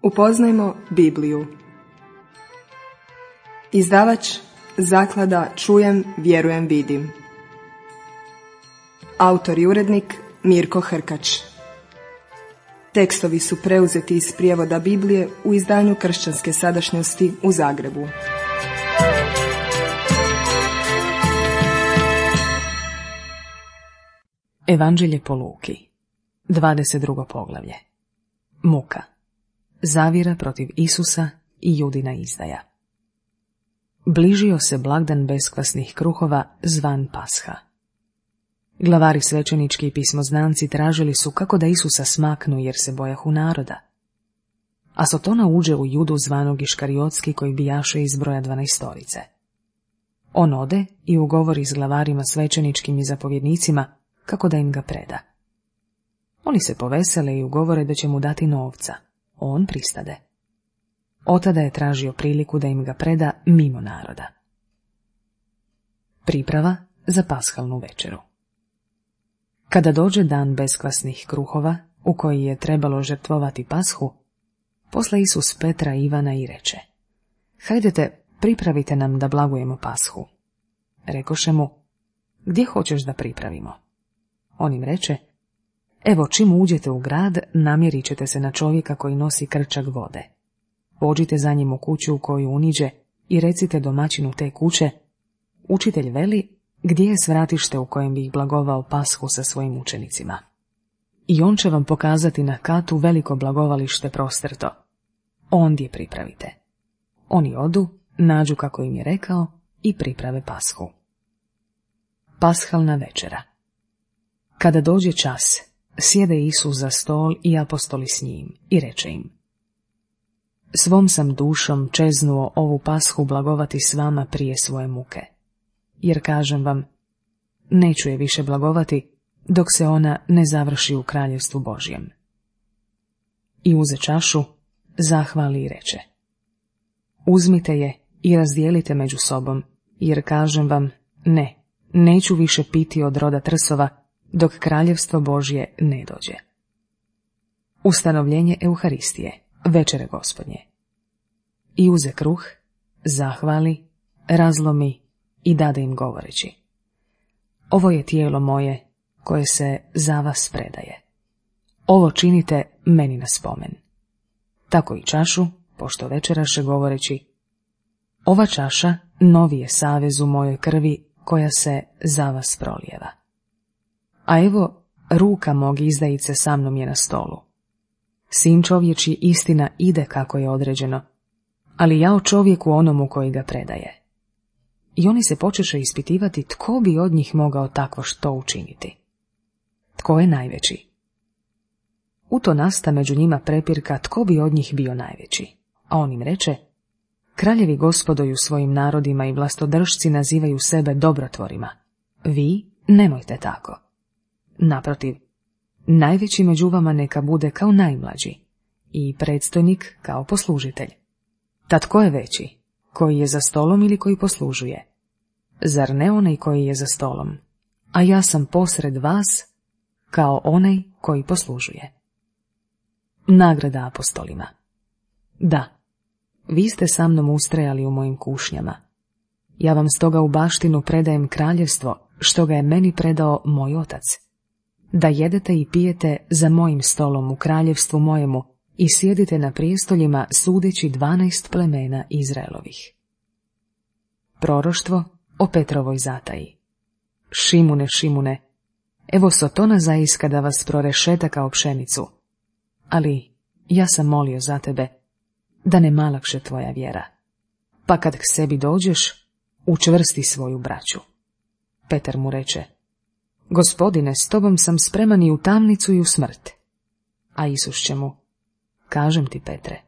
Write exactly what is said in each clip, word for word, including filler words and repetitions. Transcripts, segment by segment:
Upoznajmo Bibliju. Izdavač Zaklada Čujem, vjerujem, vidim. Autor i urednik Mirko Hrkač. Tekstovi su preuzeti iz prijevoda Biblije u izdanju Kršćanske sadašnjosti u Zagrebu. Evanđelje po Luki, dvadeset drugo poglavlje. Muka. Zavjera protiv Isusa i Judina izdaja. Bližio se blagdan beskvasnih kruhova zvan Pasha. Glavari svećenički i pismoznanci tražili su kako da Isusa smaknu jer se bojahu naroda. A Sotona uđe u Judu zvanog Iškariotski koji bijaše iz broja dvanaestorice. On ode i ugovori s glavarima svećeničkim i zapovjednicima kako da im ga preda. Oni se povesele i ugovore da će mu dati novca. On pristade. Otada je tražio priliku da im ga preda mimo naroda. Priprava za pashalnu večeru. Kada dođe dan beskvasnih kruhova, u koji je trebalo žrtvovati pashu, posla Isus Petra i Ivana i reče: Hajdete, pripravite nam da blagujemo pashu. Rekoše mu: Gdje hoćeš da pripravimo? On im reče: Evo, čim uđete u grad, namjerit ćete se na čovjeka koji nosi krčak vode. Pođite za njim u kuću u koju uniđe i recite domaćinu te kuće: Učitelj veli, gdje je svratište u kojem bi ih blagovao pashu sa svojim učenicima? I on će vam pokazati na katu veliko blagovalište prostrto. Ondje pripravite. Oni odu, nađu kako im je rekao i priprave pashu. Pashalna večera. Kada dođe čas, sjede Isus za stol i apostoli s njim i reče im: Svom sam dušom čeznuo ovu pashu blagovati s vama prije svoje muke. Jer kažem vam, neću je više blagovati dok se ona ne završi u kraljevstvu Božjem. I uze čašu, zahvali i reče: Uzmite je i razdijelite među sobom, jer kažem vam, ne, neću više piti od roda trsova dok kraljevstvo Božje ne dođe. Ustanovljenje Euharistije, večere Gospodnje. I uze kruh, zahvali, razlomi i dade im govoreći: Ovo je tijelo moje koje se za vas predaje. Ovo činite meni na spomen. Tako i čašu, pošto večeraše govoreći: Ova čaša novi je savez u mojoj krvi koja se za vas prolijeva. A evo, ruka mog izdajice sa mnom je na stolu. Sin čovječji istina ide kako je određeno, ali ja o čovjeku onomu koji ga predaje. I oni se počeše ispitivati tko bi od njih mogao takvo što učiniti. Tko je najveći? U to nasta među njima prepirka tko bi od njih bio najveći, a on im reče: Kraljevi gospodoju svojim narodima i vlastodržci nazivaju sebe dobrotvorima. Vi nemojte tako. Naprotiv, najveći među vama neka bude kao najmlađi i predstojnik kao poslužitelj. Tad tko je veći, koji je za stolom ili koji poslužuje? Zar ne onaj koji je za stolom? A ja sam posred vas kao onaj koji poslužuje. Nagrada apostolima. Da, vi ste sa mnom ustrajali u mojim kušnjama. Ja vam stoga u baštinu predajem kraljevstvo, što ga je meni predao moj otac. Da jedete i pijete za mojim stolom u kraljevstvu mojemu i sjedite na prijestoljima sudeći dvanaest plemena Izraelovih. Proroštvo o Petrovoj zataji. Šimune, Šimune, evo Sotona zaiska da vas prorešeta kao pšenicu, ali ja sam molio za tebe da ne malakše tvoja vjera, pa kad k sebi dođeš, učvrsti svoju braću. Petar mu reče: Gospodine, s tobom sam spreman i u tamnicu i u smrt. A Isus će mu: Kažem ti, Petre,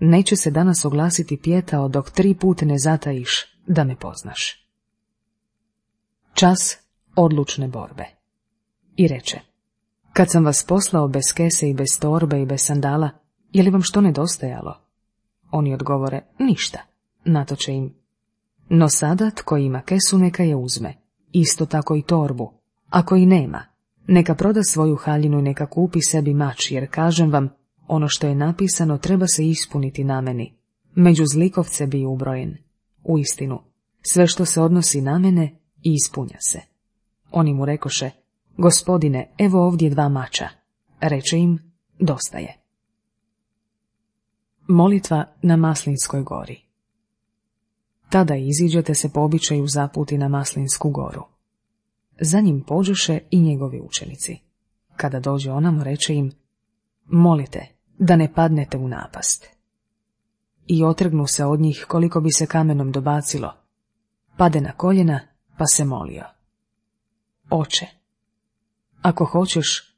neće se danas oglasiti pijetao dok tri put ne zatajiš da me poznaš. Čas odlučne borbe. I reče: Kad sam vas poslao bez kese i bez torbe i bez sandala, je li vam što nedostajalo? Oni odgovore: Ništa. Natoče im: No sada tko ima kesu neka je uzme, isto tako i torbu. Ako i nema, neka proda svoju haljinu i neka kupi sebi mač, jer kažem vam, ono što je napisano treba se ispuniti na meni. Među zlikovce bi ubrojen. Uistinu, sve što se odnosi na mene ispunja se. Oni mu rekoše, Gospodine, evo ovdje dva mača. Reče im, dosta je. Molitva na Maslinskoj gori. Tada iziđete se po običaju zaputi na Maslinsku goru. Za njim pođoše i njegovi učenici. Kada dođe onamo, reče im, molite da ne padnete u napast. I otrgnu se od njih koliko bi se kamenom dobacilo. Pade na koljena, pa se molio. Oče, ako hoćeš,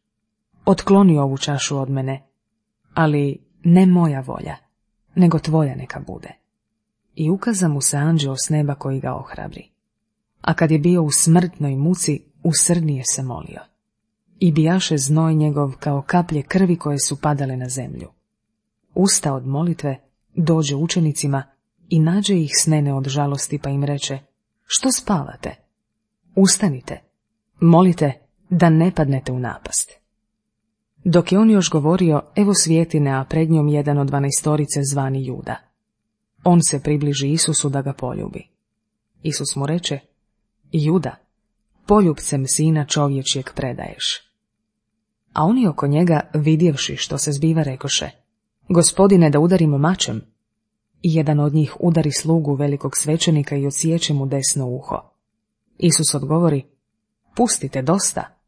otkloni ovu čašu od mene, ali ne moja volja, nego tvoja neka bude. I ukaza mu se anđeo s neba koji ga ohrabri. A kad je bio u smrtnoj muci, usrdnije se molio. I bijaše znoj njegov kao kaplje krvi koje su padale na zemlju. Usta od molitve, dođe učenicima i nađe ih snene od žalosti, pa im reče, što spavate? Ustanite, molite da ne padnete u napast. Dok je on još govorio, evo svjetine, a pred njom jedan od dvanaestorice zvani Juda. On se približi Isusu da ga poljubi. Isus mu reče, Juda, poljubcem sina čovječjeg predaješ. A oni oko njega, vidjevši što se zbiva, rekoše, Gospodine, da udarimo mačem. I jedan od njih udari slugu velikog svećenika i odsječe mu desno uho. Isus odgovori, pustite, dosta.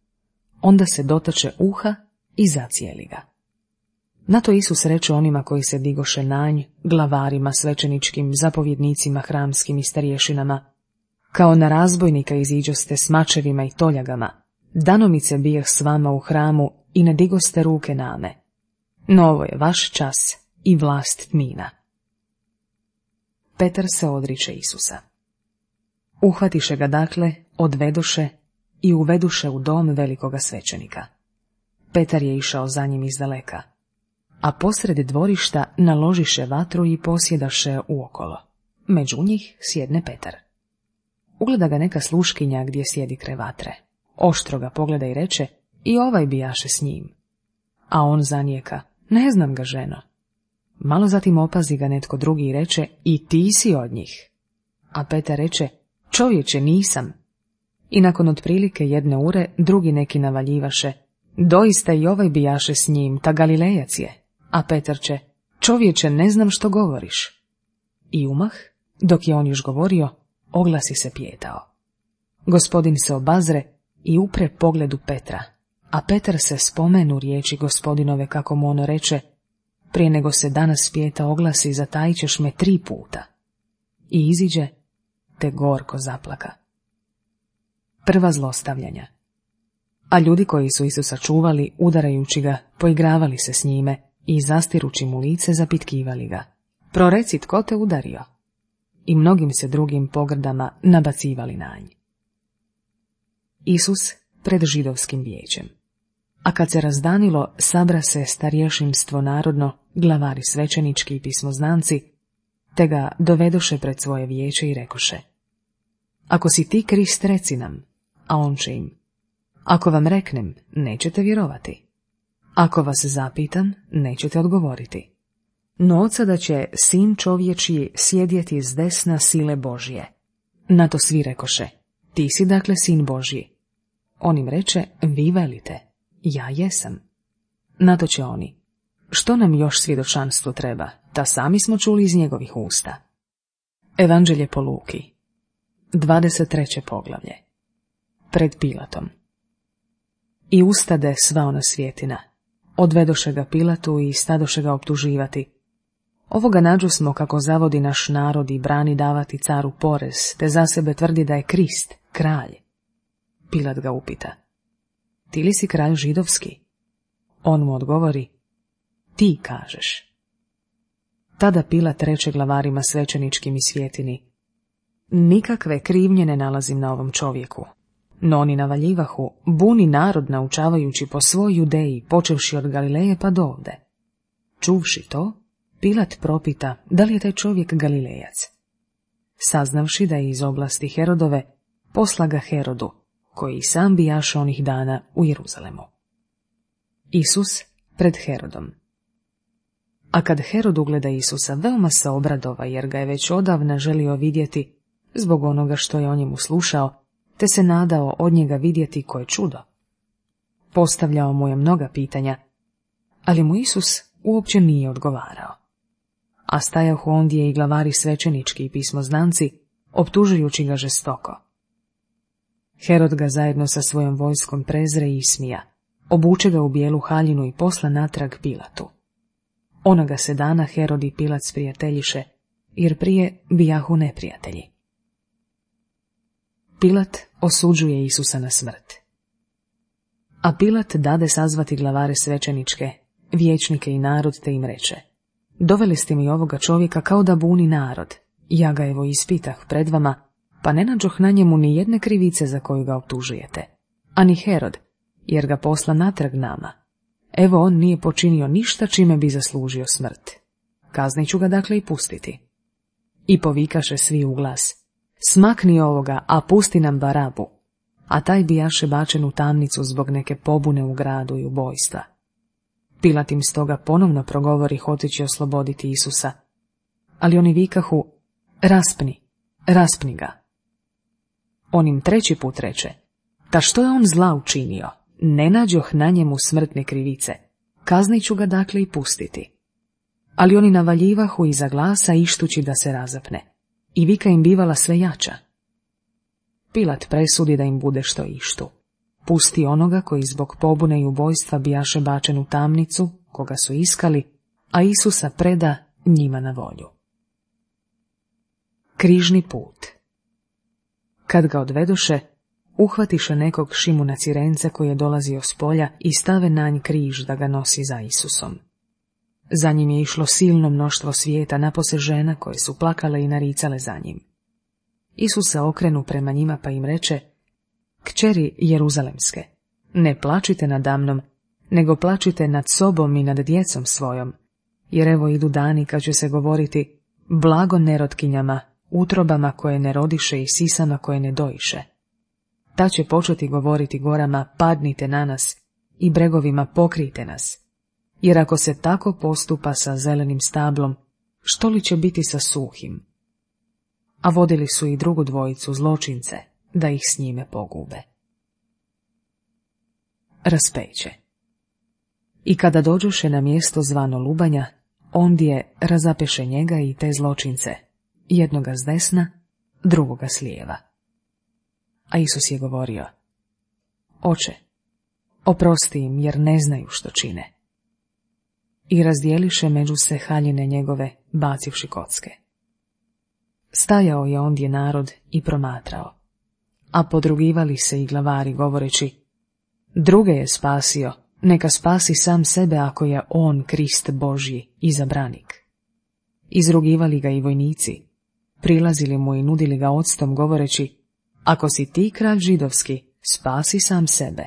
Onda se dotače uha i zacijeli ga. Na to Isus reče onima koji se digoše na nj, glavarima svećeničkim, zapovjednicima hramskim i starješinama, kao na razbojnika iziđoste s mačevima i toljagama, danomice bijeh s vama u hramu i ne digoste ruke name. No ovo je vaš čas i vlast tmina. Petar se odriče Isusa. Uhvatiše ga dakle, odvedoše i uveduše u dom velikoga svećenika. Petar je išao za njim izdaleka, a posred dvorišta naložiše vatru i posjedaše uokolo. Među njih sjedne Petar. Ugleda ga neka sluškinja gdje sjedi kraj vatre. Oštro ga pogleda i reče, i ovaj bijaše s njim. A on zanijeka, ne znam ga, ženo. Malo zatim opazi ga netko drugi i reče, i ti si od njih. A Petar reče, čovječe, nisam. I nakon otprilike jedne ure, drugi neki navaljivaše, doista i ovaj bijaše s njim, ta Galilejac je. A Petar će, čovječe, ne znam što govoriš. I umah, dok je on još govorio, oglasi se pijetao. Gospodin se obazre i upre pogledu Petra, a Petar se spomenu riječi Gospodinove kako mu ono reče, prije nego se danas pijeta oglasi, zatajit ćeš me tri puta. I iziđe, te gorko zaplaka. Prva zlostavljanja. A ljudi koji su Isusa čuvali, udarajući ga, poigravali se s njime i zastirući mu lice zapitkivali ga. Proreci, tko te udario? I mnogim se drugim pogrdama nabacivali na nj. Isus pred židovskim vijećem. A kad se razdanilo, sabra se starješinstvo narodno, glavari svećenički i pismoznanci, te ga dovedoše pred svoje vijeće i rekoše, ako si ti Krist, reci nam, a on će im, ako vam reknem, nećete vjerovati. Ako vas zapitam, nećete odgovoriti. No od sada će sin čovječji sjedjeti s desna sile Božje. Na to svi rekoše, ti si dakle sin Božji. On im reče, vi velite, ja jesam. Na to će oni, što nam još svjedočanstvo treba, ta sami smo čuli iz njegovih usta. Evanđelje po Luki, dvadeset treće poglavlje. Pred Pilatom. I ustade sva ona svjetina. Odvedoše ga Pilatu i stadoše ga optuživati. Ovoga nađu smo kako zavodi naš narod i brani davati caru porez, te za sebe tvrdi da je Krist, kralj. Pilat ga upita, ti li si kralj židovski? On mu odgovori, ti kažeš. Tada Pilat reče glavarima svećeničkim i svjetini, nikakve krivnje ne nalazim na ovom čovjeku. No oni navaljivahu, buni narod naučavajući po svoj Judeji, počevši od Galileje pa do ovde. Čuvši to, Pilat propita da li je taj čovjek Galilejac. Saznavši da je iz oblasti Herodove, posla ga Herodu, koji sam bijaše onih dana u Jeruzalemu. Isus pred Herodom. A kad Herod ugleda Isusa, veoma se obradova, jer ga je već odavna želio vidjeti zbog onoga što je o njemu slušao, te se nadao od njega vidjeti koje čudo. Postavljao mu je mnoga pitanja, ali mu Isus uopće nije odgovarao. A stajahu ondje i glavari svećenički i pismoznanci, optužujući ga žestoko. Herod ga zajedno sa svojom vojskom prezre i ismija, obuče ga u bijelu haljinu i posla natrag Pilatu. Onoga se dana Herod i Pilat sprijateljiše, jer prije bijahu neprijatelji. Pilat osuđuje Isusa na smrt. A Pilat dade sazvati glavare svećeničke, vijećnike i narod, te im reče: doveli ste mi ovoga čovjeka kao da buni narod, ja ga evo ispitah pred vama, pa ne nađoh na njemu ni jedne krivice za koju ga optužujete, ani Herod, jer ga posla natrag nama. Evo on nije počinio ništa čime bi zaslužio smrt. Kaznit ću ga dakle i pustiti. I povikaše svi u glas: smakni ovoga, a pusti nam Barabu. A taj bijaše bačen u tamnicu zbog neke pobune u gradu i ubojstva. Pilat im stoga ponovno progovori hoteći osloboditi Isusa, ali oni vikahu: raspni, raspni ga. On im treći put reče: ta što je on zla učinio, ne nađoh na njemu smrtne krivice, kaznit ću ga dakle i pustiti. Ali oni navaljivahu iza glasa ištući da se razapne, i vika im bivala sve jača. Pilat presudi da im bude što ištu. Pusti onoga koji zbog pobune i ubojstva bijaše bačen u tamnicu, koga su iskali, a Isusa preda njima na volju. Križni put. Kad ga odvedoše, uhvatiše nekog Šimuna Cirenca koji je dolazio s polja i stave na nj križ da ga nosi za Isusom. Za njim je išlo silno mnoštvo svijeta, napose žena koje su plakale i naricale za njim. Isus se okrenu prema njima pa im reče: kćeri Jeruzalemske, ne plačite nadamnom, nego plačite nad sobom i nad djecom svojom, jer evo idu dani kad će se govoriti: blago nerotkinjama, utrobama koje ne rodiše i sisama koje ne doiše. Ta će početi govoriti gorama: padnite na nas, i bregovima: pokrijte nas. Jer ako se tako postupa sa zelenim stablom, što li će biti sa suhim? A vodili su i drugu dvojicu, zločince, da ih s njime pogube. Raspeće. I kada dođoše na mjesto zvano Lubanja, ondje razapeše njega i te zločince, jednoga s desna, drugoga s lijeva. A Isus je govorio: Oče, oprosti im, jer ne znaju što čine. I razdijeliše među se haljine njegove, bacivši kocke. Stajao je ondje narod i promatrao, a podrugivali se i glavari govoreći: druge je spasio, neka spasi sam sebe ako je on Krist Božji, izabranik. Izrugivali ga i vojnici, prilazili mu i nudili ga octom govoreći: ako si ti kralj židovski, spasi sam sebe.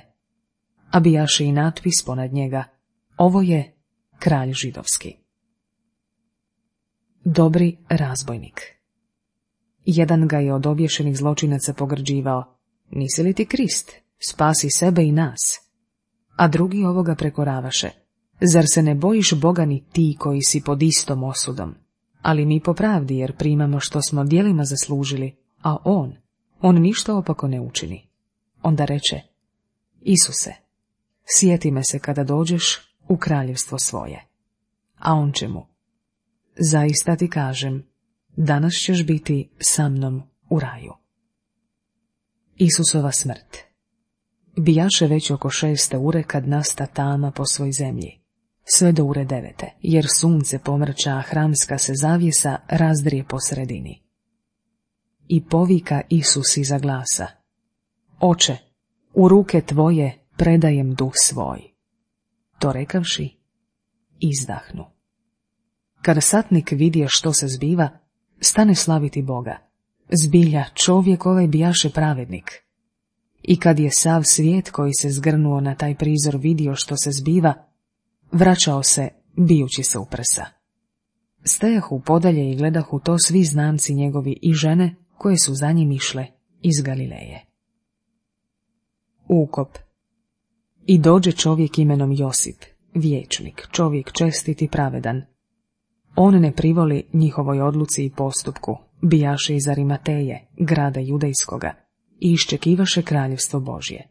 A bijaše i natpis ponad njega: ovo je kralj židovski. Dobri razbojnik. Jedan ga je od obješenih zločinaca pogrđivao: nisi li ti Krist, spasi sebe i nas. A drugi ovoga prekoravaše: zar se ne bojiš Boga ni ti koji si pod istom osudom? Ali mi po pravdi, jer primamo što smo djelima zaslužili, a on, on ništa opako ne učini. Onda reče: Isuse, sjeti me se kada dođeš u kraljevstvo svoje. A on će mu: zaista ti kažem, danas ćeš biti sa mnom u raju. Isusova smrt. Bijaše već oko šeste ure kad nasta tama po svoj zemlji, sve do ure devete, jer sunce pomrča, a hramska se zavjesa razdrije po sredini. I povika Isus iza glasa: Oče, u ruke tvoje predajem duh svoj. To rekavši, izdahnu. Kada satnik vidje što se zbiva, stane slaviti Boga. Zbilja, čovjek ovaj bijaše pravednik. I kad je sav svijet koji se zgrnuo na taj prizor vidio što se zbiva, vraćao se, bijući se u prsa. Stajahu podalje i gledahu to svi znamci njegovi i žene koje su za njim išle iz Galileje. Ukop. I dođe čovjek imenom Josip, vijećnik, čovjek čestit i pravedan, On ne privoli njihovoj odluci i postupku, bijaše iz Arimateje, grada judejskoga, i iščekivaše kraljevstvo Božje.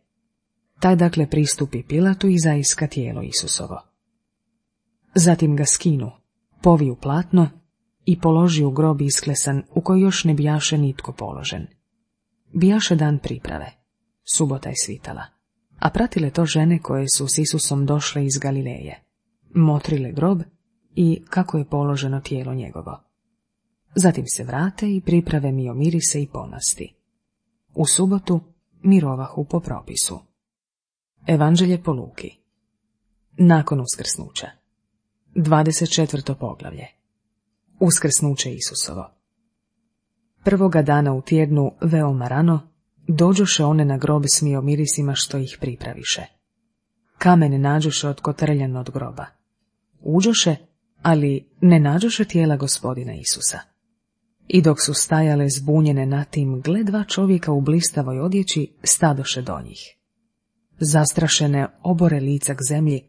Taj dakle pristupi Pilatu i zaiska tijelo Isusovo. Zatim ga skinu, poviju platno i položi u grob isklesan u koji još ne bijaše nitko položen. Bijaše dan priprave, subota je svitala, a pratile to žene koje su s Isusom došle iz Galileje, motrile grob i kako je položeno tijelo njegovo. Zatim se vrate i priprave miomirise i pomasti. U subotu mirovahu po propisu. Evanđelje po Luki. Nakon uskrsnuća. dvadeset četvrto poglavlje. Uskrsnuće Isusovo. Prvoga dana u tjednu, veoma rano, dođoše one na grob s miomirisima što ih pripraviše. Kamen nađoše otkotrljan od groba. Uđoše, ali ne nađoše tijela Gospodina Isusa. I dok su stajale zbunjene na tim, gle dva čovjeka u blistavoj odjeći stadoše do njih. Zastrašene obore lica k zemlji,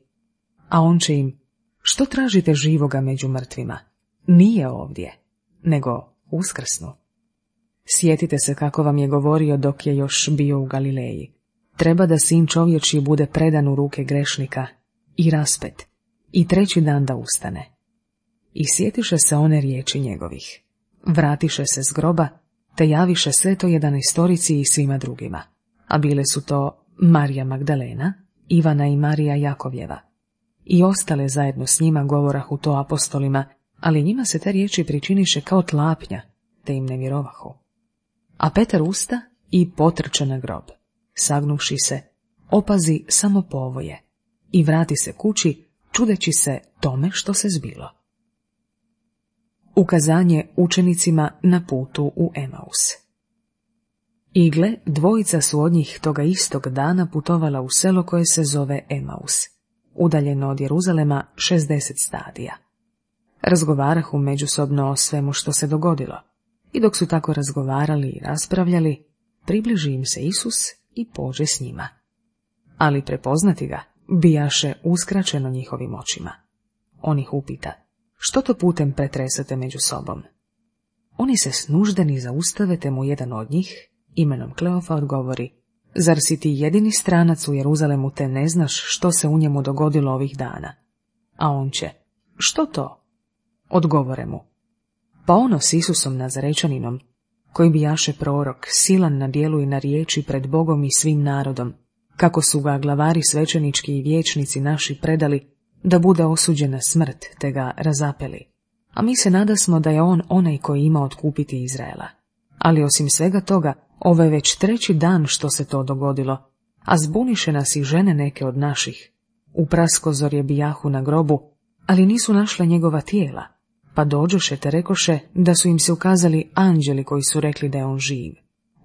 a on će im: što tražite živoga među mrtvima? Nije ovdje, nego uskrsnu. Sjetite se kako vam je govorio dok je još bio u Galileji. Treba da sin čovječji bude predan u ruke grešnika i raspet, i treći dan da ustane. I sjetiše se one riječi njegovih. Vratiše se s groba, te javiše sve to jedanaestorici i svima drugima. A bile su to Marija Magdalena, Ivana i Marija Jakovljeva. I ostale zajedno s njima govorahu to apostolima, ali njima se te riječi pričiniše kao tlapnja, te im ne vjerovahu. A Petar usta i potrče na grob, sagnuvši se, opazi samo povoje i vrati se kući, čudeći se tome što se zbilo. Ukazanje učenicima na putu u Emaus. I gle, dvojica su od njih toga istog dana putovala u selo koje se zove Emaus, udaljeno od Jeruzalema šezdeset stadija. Razgovarahu međusobno o svemu što se dogodilo, i dok su tako razgovarali i raspravljali, približi im se Isus i pođe s njima. Ali prepoznati ga bijaše uskraćeno njihovim očima. On ih upita: što to putem pretresate među sobom? Oni se snuždeni zaustave, te mu jedan od njih, imenom Kleofa, odgovori: zar si ti jedini stranac u Jeruzalemu, te ne znaš što se u njemu dogodilo ovih dana? A on će: što to? Odgovore mu: pa ono s Isusom Nazarečaninom, koji bijaše prorok, silan na djelu i na riječi pred Bogom i svim narodom, kako su ga glavari svećenički i vijećnici naši predali da bude osuđen na smrt, te ga razapeli. A mi se nadasmo da je on onaj koji ima otkupiti Izraela. Ali osim svega toga, ovo je već treći dan što se to dogodilo, a zbuniše nas i žene neke od naših. U praskozorje bijahu na grobu, ali nisu našle njegova tijela, pa dođoše te rekoše da su im se ukazali anđeli koji su rekli da je on živ.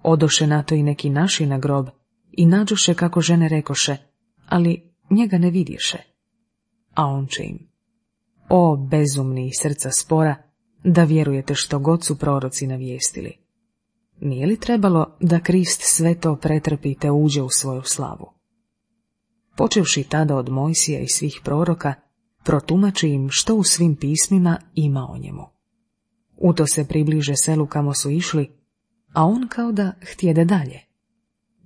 Odoše na to i neki naši na grob i nađoše kako žene rekoše, ali njega ne vidješe. A on će im: o bezumni i srca spora, da vjerujete što god su proroci navijestili. Nije li trebalo da Krist sve to pretrpi te uđe u svoju slavu? Počevši tada od Mojsija i svih proroka, protumači im što u svim pismima ima o njemu. U to se približe selu kamo su išli, a on kao da htjede dalje.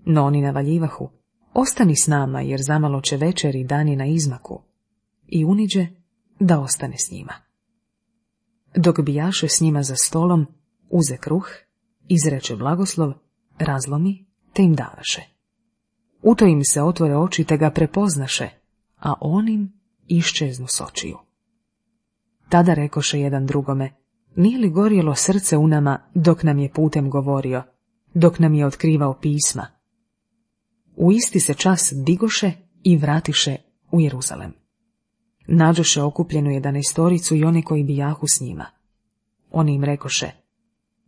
No oni navaljivahu: ostani s nama, jer zamalo će večer i dan je na izmaku. I uniđe da ostane s njima. Dok bijaše s njima za stolom, uze kruh, izreče blagoslov, razlomi, te im davaše. U to im se otvore oči, te ga prepoznaše, a on im iščeznu s očiju. Tada rekoše jedan drugome: nije li gorjelo srce u nama dok nam je putem govorio, dok nam je otkrivao pisma? U isti se čas digoše i vratiše u Jeruzalem. Nađoše okupljenu jedanaestoricu i one koji bijahu s njima. Oni im rekoše: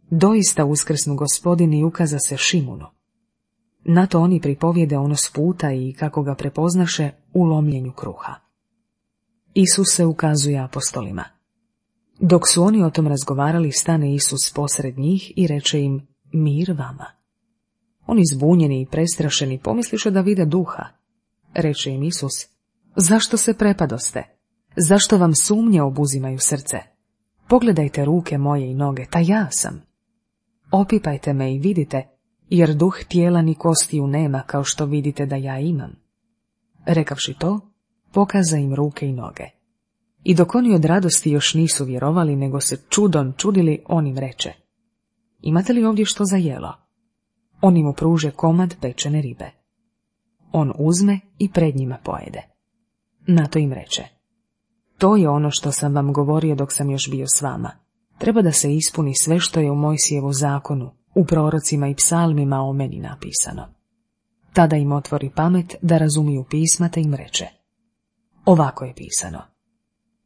doista uskrsnu Gospodin i ukaza se Šimunu. Na to oni pripovijede ono s puta i kako ga prepoznaše u lomljenju kruha. Isus se ukazuje apostolima. Dok su oni o tom razgovarali, stane Isus posred njih i reče im: mir vama. Oni zbunjeni i prestrašeni pomisliše da vide duha. Reče im Isus: zašto se prepadoste? Zašto vam sumnje obuzimaju srce? Pogledajte ruke moje i noge, ta ja sam. Opipajte me i vidite, jer duh tijela ni kostiju nema kao što vidite da ja imam. Rekavši to, pokaza im ruke i noge. I dok oni od radosti još nisu vjerovali, nego se čudom čudili, on im reče: imate li ovdje što za jelo? Oni mu pruže komad pečene ribe. On uzme i pred njima pojede. Na to im reče: to je ono što sam vam govorio dok sam još bio s vama. Treba da se ispuni sve što je u Mojsijevu zakonu, u prorocima i psalmima o meni napisano. Tada im otvori pamet da razumiju pisma, te im reče: ovako je pisano: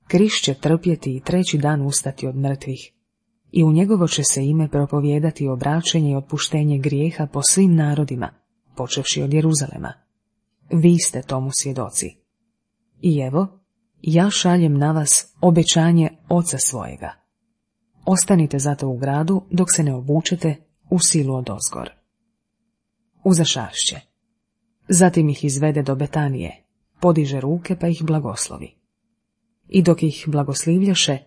Krist će trpjeti i treći dan ustati od mrtvih, i u njegovo će se ime propovijedati obraćenje i otpuštenje grijeha po svim narodima, počevši od Jeruzalema. Vi ste tomu svjedoci. I evo, ja šaljem na vas obećanje Oca svojega. Ostanite zato u gradu dok se ne obučete u silu odozgor. Uzašašće. Zatim ih izvede do Betanije, podiže ruke pa ih blagoslovi. I dok ih blagoslivljaše,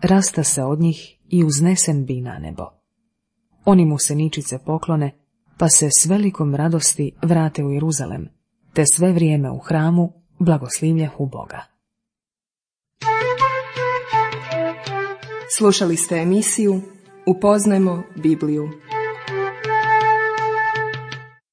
rasta se od njih i uznesen bi na nebo. Oni mu se ničice poklone, pa se s velikom radosti vrate u Jeruzalem, te sve vrijeme u hramu blagoslivljahu Boga. Slušali ste emisiju Upoznajmo Bibliju.